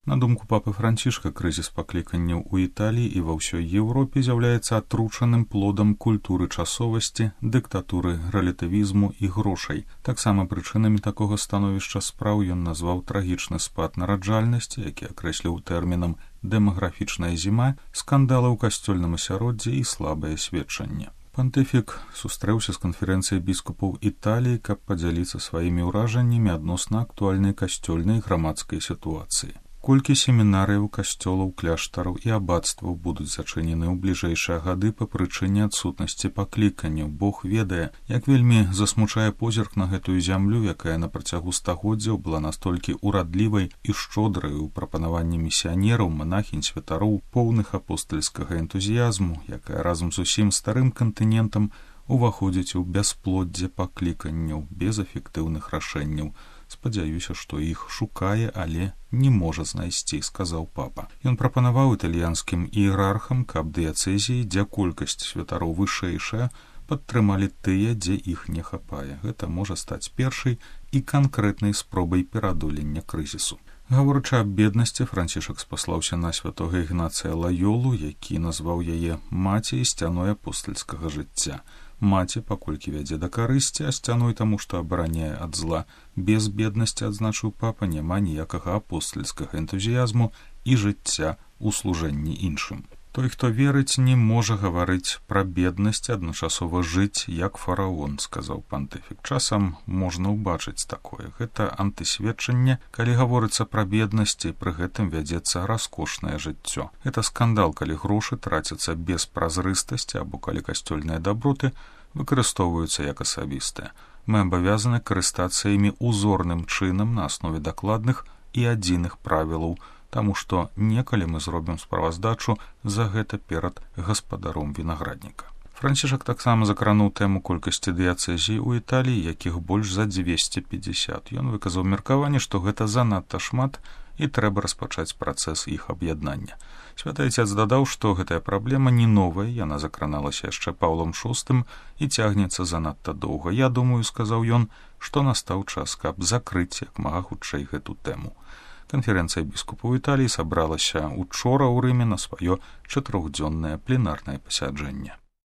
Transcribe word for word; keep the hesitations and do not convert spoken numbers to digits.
На думку папы Францішка, крызіс пакліканняў у Італіі і ва ўсёй Еўропе з'яўляецца атручаным плодам культуры часовасці, дыктатуры, рэлятывізму і грошай. Таксама прычынамі такога становішча спраў ён назваў трагічны спад нараджальнасці, які акрэсліў тэрмінам «дэмаграфічная зіма», скандалы ў касцёльным асяроддзі і слабае сведчанне. Пантыфік сустрэўся з канферэнцыяй біскупаў Італіі, каб падзяліцца сваімі ўражаннямі адносна актуальнай касцёльнай і грамадскай сітуацыі. Колькі семінарыяў, касцёлаў, кляштараў і абацтваў будуць зачынены ў бліжэйшыя гады па прычыне адсутнасці пакліканняў. Бог ведае, як вельмі засмучае позірк на гэтую зямлю, якая на працягу стагоддзяў была настолькі урадлівай і шчодрай у прапанаванні місіянераў, манахінь, святароў, поўных апостальскага энтузіязму, якая разам з усім старым кантынентам уваходзіць у бясплоддзе пакліканняў без эфектыўных рашэнняў. Спадзяюся, што іх шукае, але не можа знайсці, сказаў папа. Ён прапанаваў італьянскім іерархам, каб дыяцэзіі, дзе колькасць святароў вышэйшая, падтрымалі тыя, дзе іх не хапае. Гэта можа стаць першай і канкрэтнай спробай пераадолення крызісу. Гаворачы аб беднасці, Францішак спаслаўся на святога Ігнацыя Лайолу, які назваў яе маці і сцяной апостальскага жыцця. Маці, паколькі вядзе да карысці, а сцяной таму, што абараняе ад зла. Без беднасці, адзначыў папа, няма ніякага апостальскага энтузіязму і жыцця ў служэнні іншым. Той, хто верыць, не можа гаварыць пра беднасць, адначасова жыць, як фараон, сказаў пантыфік. Часам можна ўбачыць такое. Гэта антысведчанне, калі гаворыцца пра беднасць, і пры гэтым вядзецца раскошнае жыццё. Гэта скандал, калі грошы трацяцца без празрыстасці або калі касцёльныя даброты выкарыстоўваюцца як асабістыя. Мы абавязаны карыстацца імі узорным чынам на аснове дакладных і адзіных правілаў, таму што некалі мы зробім справаздачу за гэта перад гаспадаром вінаградніка. Францішак таксама закрануў тэму колькасці дыяцэзій у Італіі, якіх больш за дзвесце пятьдесят. Ён выказаў меркаванне, што гэта занадта шмат і трэба распачаць працэс іх аб'яднання. Святы Айцец дадаў, што гэтая праблема не новая, яна закраналася яшчэ Паўлам шостым і цягнецца занадта доўга. Я думаю, сказаў ён, што настаў час, каб закрыць як мага хутчэй гэту тэму. Канферэнцыя біскупаў Італіі сабралася учора ў Рыме на сваё чатырохдзённае пленарнае пасяджэнне.